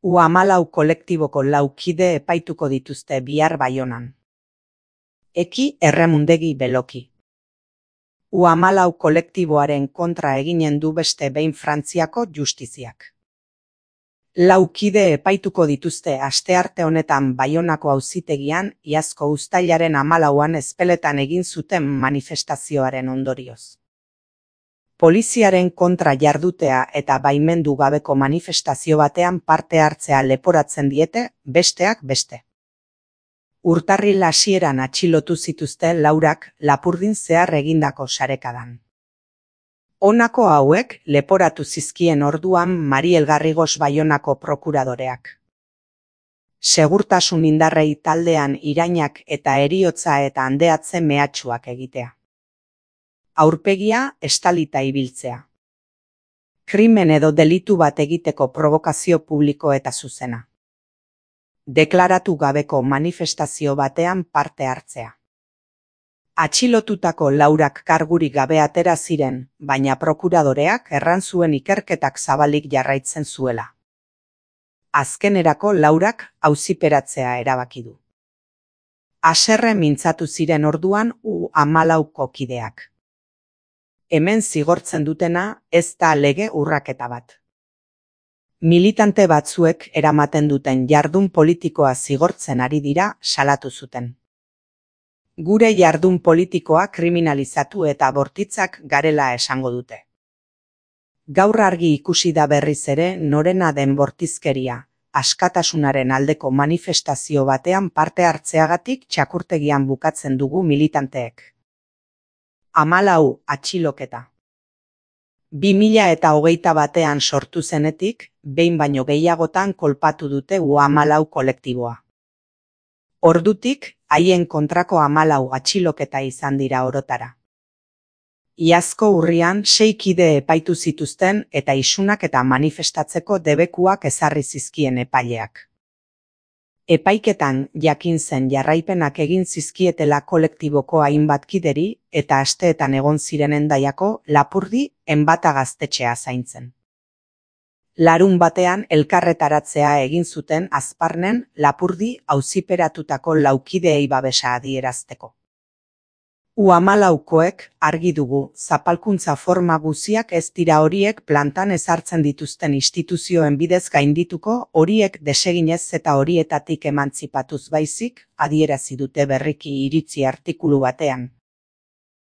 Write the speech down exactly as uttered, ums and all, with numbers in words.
U hamalau kolektiboko lau kide epaituko dituzte bihar Baionan. Eki Erremundegi Beloki. U hamalau kolektiboaren kontra eginen du beste behin Frantziako justiziak. Lau kide epaituko dituzte astearte honetan Baionako auzitegian iazko uztailaren hamalauan Ezpeletan egin zuten manifestazioaren ondorioz. Poliziaren kontra jardutea eta baimendu gabeko manifestazio batean parte hartzea leporatzen diete, besteak beste. Urtarril hasieran atxilotu zituzte laurak Lapurdin zehar egindako sarekadan. Honako hauek leporatu zizkien orduan Mariel Garrigos Baionako prokuradoreak. Segurtasun indarrei taldean irainak eta heriotza eta handeatze mehatxuak egitea. Aurpegia estalita ibiltzea. Krimen edo delitu bat egiteko provokazio publiko eta zuzena. Deklaratu gabeko manifestazio batean parte hartzea. Atxilotutako laurak kargurik gabe atera ziren, baina prokuradoreak erran zuen ikerketak zabalik jarraitzen zuela. Azkenerako laurak auziperatzea erabaki du. Haserre mintzatu ziren orduan U hamalauko kideak. Hemen zigortzen dutena ez da lege urraketa bat. Militante batzuek eramaten duten jardun politikoa zigortzen ari dira salatu zuten. Gure jardun politikoa kriminalizatu eta bortitzak garela esango dute. Gaur argi ikusi da berriz ere norena den bortizkeria, askatasunaren aldeko manifestazio batean parte hartzeagatik txakurtegian bukatzen dugu militanteek. Hamalau atxiloketa. Bi mila eta hogeita batean sortu zenetik, behin baino gehiagotan kolpatu dute U hamalau kolektiboa. Ordutik, haien kontrako hamalau atxiloketa izan dira orotara. Iazko urrian sei kide epaitu zituzten eta isunak eta manifestatzeko debekuak ezarri zizkien epaileak. Epaiketan jakin zen jarraipenak egin zizkietela kolektiboko hainbat kideri eta asteetan egon ziren Hendaiako Lapurdi Enbata gaztetxea zaintzen. Larun batean elkarretaratzea egin zuten Azparnen Lapurdi auziperatutako laukideei babesa adierazteko. U hamalaukoek argi dugu zapalkuntza forma guziak ez dira horiek plantan ezartzen dituzten instituzioen bidez gaindituko, horiek deseginez eta horietatik emantzipatuz baizik, adierazi dute berriki iritzi artikulu batean.